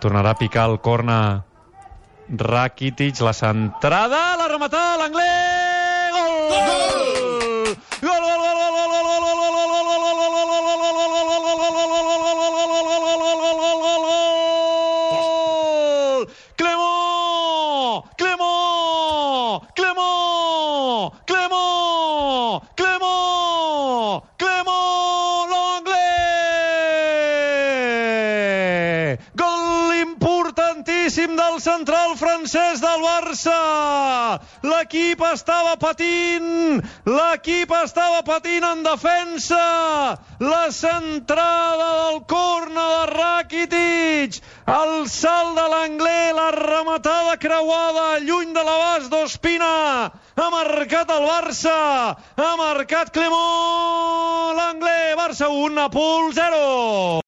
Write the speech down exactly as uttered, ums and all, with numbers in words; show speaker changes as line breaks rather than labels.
Tornarà a picar el corna Rakitic, la centrada, la rematada, l'Anglès, gol! Gol! Gol, gol, gol, gol, gol, gol, gol, gol, gol, gol, gol, gol, gol, gol, Clément! Clément! Clément! Clément! Clément! Clément! L'Anglès! Gol importantíssim del central francès del Barça. L'equip estava patint, l'equip estava patint en defensa. La centrada del corna de Rakitic, el salt de l'Anglès, la rematada creuada lluny de l'abast d'Ospina. Ha marcat el Barça, ha marcat Clément, l'Anglès, Barça un, Nàpols zero.